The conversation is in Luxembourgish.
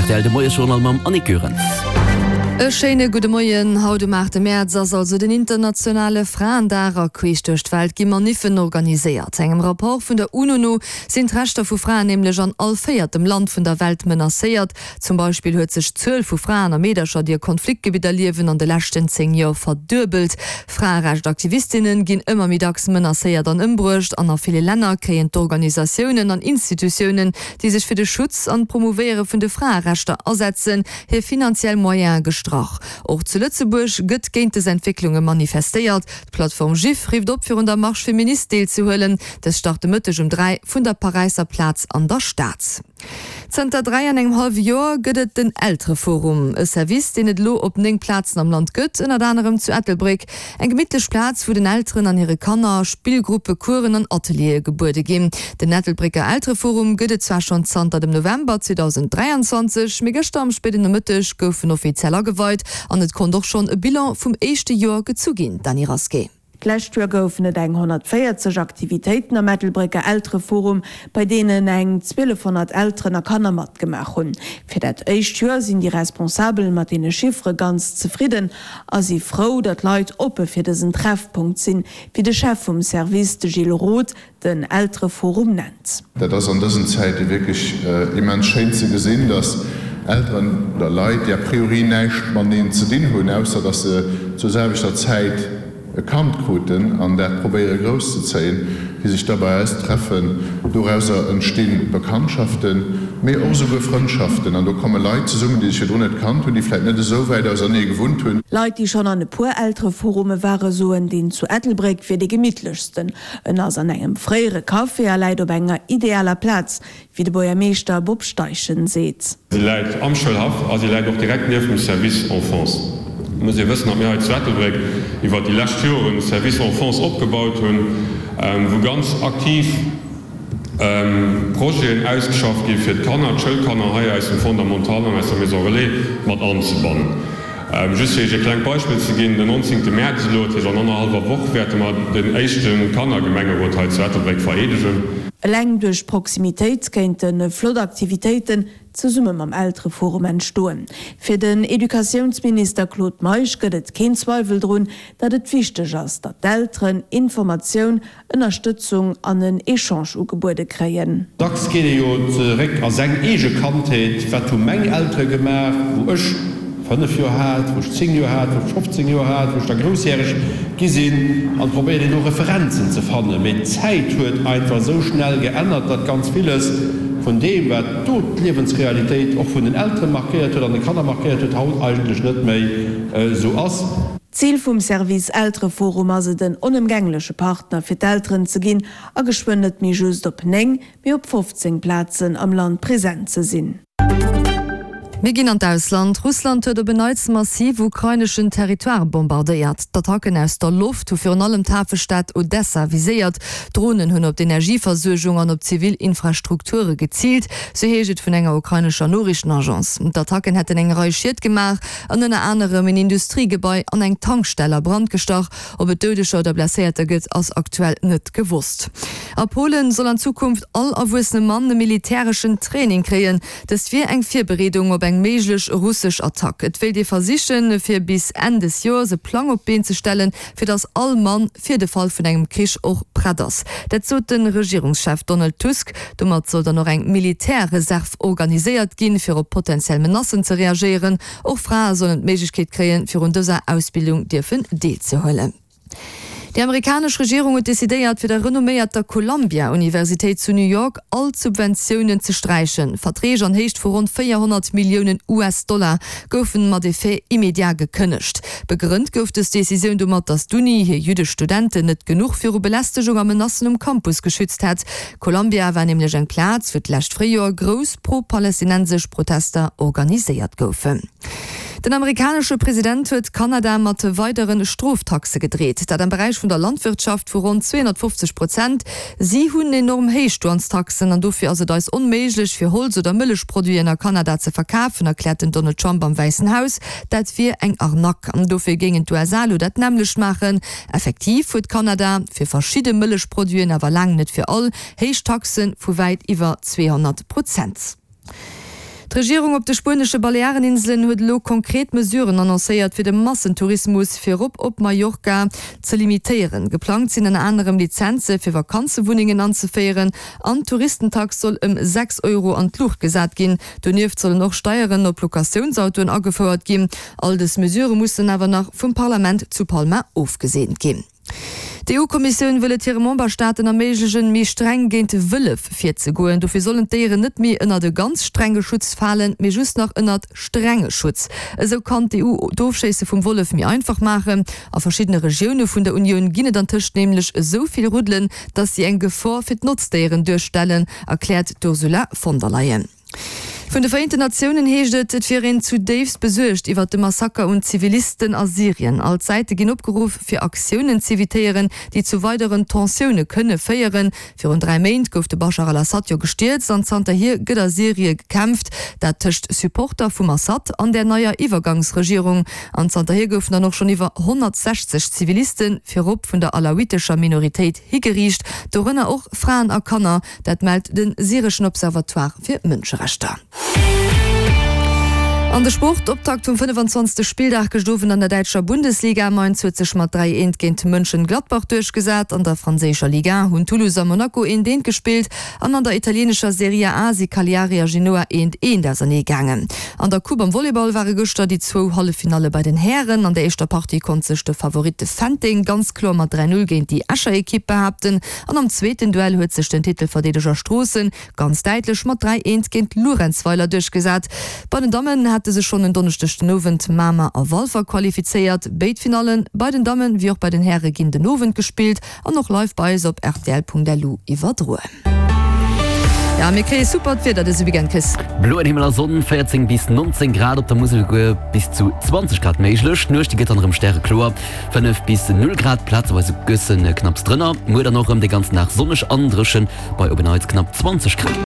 Rtl, de Moiesjournal mam Annick Goerens. E schéine gudde Moien. Haut um 8 Mäerz ass also den internationale Fraendag a queesch duerch d'Welt gi Maniffen organiséiert. Engem Rapport vun der UNO no sinn d'Rechter vu Fraen nämlech an all véiertem Land vun der Welt menacéiert. Zum Beispill huet sech d'Zuel vu Fraen a Meedercher, déi a Konfliktgebidder liewen, an de leschten 10 Joer verduebelt. Fraerecht-Aktivistinne ginn ëmmer méi dacks menacéiert an ëmbruecht an a ville Länner kréien d'Organisatiounen an Institutiounen, déi sech fir de Schutz an d'Promouvéiere vun de Fraerechter asetzen, hir finanziell Moyene gestrach. Och zu Lëtzebuerg gëtt géint dës Entwécklunge manifestéiert. D'Plattform JIF rifft op, fir un der Marche Féministe deelzehuelen. Dës start de Mëtteg um 3 vun der Paräisser Plaz an der Stad. Zënter 3 an engem hallwe Joer gëtt et den Eltereforum, e Service, deen et elo op 9 Plazen am Land gëtt, ënnert anerem zu Ettelbréck. Eng gemittlech Plaz, wou den Elteren an hire Kanner Spillgruppe, Coursen an Ateliere gebuede ginn. Den Ettelbrécker Eltereforum gëtt et zwar schonn zanter dem November 2023, mee gëschter am spéiden Nomëtteg gouf en offiziell ageweit an et konnt och schonn e Bilan vum éischte Joer gezu ginn. Dany Rasqué. D'lescht Joer goufen et eng 140 Aktivitéiten am Ettelbrécker Eltereforum, bei deenen eng 1.200 Elteren a Kanner matgemaach hunn. Fir dat éischt Joer sinn déi Responsabel mat deene Chiffere ganz zefridden a si frou, datt Leit oppe fir dësen Treffpunkt sinn, wéi de Chef vum Service, de Gilles Roth, den Eltereforum nennt. Dat ass an dësen Zäite wierklech immens schéin ze gesinn, datt Elteren oder Leit, déi a priori näischt mateneen ze dinn hunn, ausser datt se zur selwechter Zäit e Kand kruten an dat probéiere grousszezéien, déi sech da bei eis treffen. Dorauser entsti Bekanntschaften, mee och esouguer Frëndschaften an do komme Leit zesummen, déi sech virdrun net kannt hunn, déi vläit net esou wäit ausernee gewunnt hunn. Leit, déi schonn an e puer Eltereforume ware soen, deen zu Ettelbréck wier dee gemittlechsten. En ass an engem fréiere Café a läit op enger idealer Plaz, wéi de Buergermeeschter Bob Steichen seet. Si läit am Schoulhaff a si läit och direkt nieft dem Service Enfance. Et muss ee wëssen, datt mir hei zu Ettelbréck iwwert déi lescht Joren e Service Enfance opgebaut hunn, wou ganz aktiv Projeten ausgeschafft gi fir d'Kanner, d'Schoulkanner hei aus dem Fondamental an aus der Maison Relais mat anzebannen. Just fir Iech e klengt Beispill ze ginn, Den 19. Mäerz elo, dat heescht an annerhallwer Woch, wäerte mer den éischte Kannergemengerot hei zu Ettelbréck vereedegen. Eleng duerch d'Proximitéit kéinte flott Aktivitéiten zesumme mam Eltereforum entstoen. Fir den Educatiounsminister Claude Meisch gëtt et keen Zweiwel drun, datt et wichteg ass, datt d'Elteren Informatioun Ënnerstëtzung an en Echange ugebuede kréien. Dacks geet ee jo zeréck a seng eege Kandheet, Wat hu meng Eltere gemaach, wou ech 5 Joer hat, wou ech 10 Joer hat, wou ech 15 Joer hat, wou ech da groussjäreg gi sinn? An probéiert een do Referenzen ze fannen. Mee d'Zäit huet einfach esou schnell geännert, datt ganz villes vun deem, wat do d'Liewensrealitéit och vun den Eltere markéiert huet an de Kanner markéiert huet, haut eigentlech net méi esou ass. D'Zil vum Service Eltereforum ass et en onëmgängleche Partner fir d'Elteren ze ginn a geschwënn net méi just op 9, mee op 15 Plazen am Land present ze sinn. Mir ginn an d'Ausland. Russland huet op en Neits massiv ukraineschen Territoire bombardéiert. D'Attacken aus der Loft hu virun allem d'Hafestad Odessa viséiert. Dronen hunn op d'Energieversuergung an op zivil Infrastrukture geziilt, sou heescht et vun enger ukrainescher Noriichtenagence. D'Attacken hätten eng Rei Schied gemaach. an ënner anerem en Industriegebai an eng Tankstell a Brand gestach. Ob et Doudeger oder Blesséierter gëtt, ass aktuell net gewosst. A Polen soll an Zukunft all erwuessene Mann e militäreschen Training kréien. Dëst wier eng Virbereedung op eng méiglech russesch Attack. Et wéilt ee versichen, fir bis Enn des Joers e Plang op d'Been ze stellen, fir datt all Mann fir de Fall vun engem Krich och prett ass. Dat sot de Regierungschef Donald Tusk. Domat soll dann och eng Militärreserv organiséiert ginn, fir op potentiell Menacen ze reagéieren. Och Frae sollen d'Méiglechkeet kréien, fir un dëser Ausbildung dierfen deelzehuelen. Déi amerikanesch Regierung huet decidéiert, fir der renomméierter Columbia-Universitéit zu New York all d'Subventiounen ze sträichen. Verträg an Héicht vu ronn 400 Milliounen US-Dollar goufen mat Effet immédiat gekënnegt. Begrënnt gouf dës Decisioun domat, datt d'Uni hir jüddesch Studenten net genuch viru Belästegung a Menacen um Campus geschützt hätt. Columbia war nämlech eng Plaz, wou d'lescht Fréijoer grouss pro-palästinensesch Protester organiséiert goufen. Den amerikanesche President huet Kanada mat weidere Stroftaxe gedreet, dat am Beräich vun der Landwirtschaft vu ronn 250 Prozent. Si hunn enorm héich Douanestaxen an dofir ass et eis onméiglech, fir Holz oder Mëllechproduiten a Kanada ze verkafen, erkläert den Donald Trump am Wäissen Haus. Dat wier eng Arnaque an dofir géingen d'USA elo dat nämmlecht maachen. Effektiv huet Kanada fir verschidde Mëllechproduiten, awer laang net fir all, héich Taxe vu wäit iwwer 200 Prozent. D'Regierung op de spuenesche Baleareninselen huet elo konkret Mesuren annoncéiert, fir de Massentourismus, virop op Mallorca, ze limitéieren. Geplangt sinn ënner anerem Lizenze fir Vakanzewunnengen anzeféieren an d'Touristentax soll ëm 6 Euro an d'Luucht gesat ginn. Donieft sollen och Steieren op Locatiounsautoen agefouert ginn. All dës Mesurë mussen awer nach vum Parlament zu Palma ofgeseent ginn. D'EU-Kommissioun wëll et hire Memberstaaten erméiglechen, méi streng géint Wëllef virzegoen. Dofir sollen d'Déieren net méi ënnert e ganz strenge Schutz falen, mee just nach ënnert strenge Schutz. Esou kann d'EU d'Ofschéisse vum Wollef méi einfach maachen. A verschiddene Regioune vun der Unioun ginn et antëscht nämlech esou vill Ruddelen, datt si eng Gefor fir d'Notzdéieren duerstellen, erkläert d'Ursula von der Leyen. Vun de Vereenten Natiounen heescht et, et wier een zudéifst besuergt iwwert de Massaker un Zivilisten a Syrien. All d'Säite ginn opgeruff, fir Aktiounen z'evitéieren, déi zu weideren Tensioune kënne féieren. Virun 3 Méint gouf de Baschar al-Assad jo gestierzt an zanterhier gëtt a Syrie gekämpft, dat tëscht Supporter vum Assad an där neier Iwwergangsregierung. An zanterhier goufen dann och schonn iwwer 160 Zivilisten, virop vun der alawitescher Minoritéit, higeriicht, dorënner och Fraen a Kanner. Dat mellt de syreschen Observatoire fir Mënscherechter. An de Sport, Optakt vum 25. Spilldag gëscht Owend an der däitscher Bundesliga. Mainz huet sech mat 3, 1 géint Mönchengladbach duerchgesat. An der franséischer Ligue 1 hunn Toulouse a Monaco 1, 1 gespillt an an der italieenescher Serie A si Cagliari a Genoa 1, 1 ausernee gaangen. An der Coupe am Volleyball ware gëschter déi zwou Halleffinalle bei den Hären. An der éischter Partie konnt sech de Favorit Fenteng ganz kloer mat 3, 0 géint déi Escher Ekipp behaapten. An am zweeten Duell huet sech den Titelverdeedeger Stroossen ganz däitlech mat 3, 1 géint Luerenzweiler duerchgesat. Bei den Dammen hate sech schonn en Donneschdeg den Owend Mamer a Walfer qualifizéiert. Béid Finallen, bei den Dammen wéi och bei den Häre ginn den Owend gespillt an och live bei eis op rtl.lu iwwerdroen. Jo, mir kréie supert Wieder dëse Weekend, Chris. Bloen Himmel a Sonn, 14 bis 19 Grad, op der Musel esouguer bis zu 20 Grad méiglech. D'Nuecht déi gëtt dann erëm stärekloer. 5 bis 0 Grad, plazeweis e bëssen knapps drënner. Muer dann och rëm de ganzen Dag sonneg an dréchen bei op en Neits knapp 20 Grad.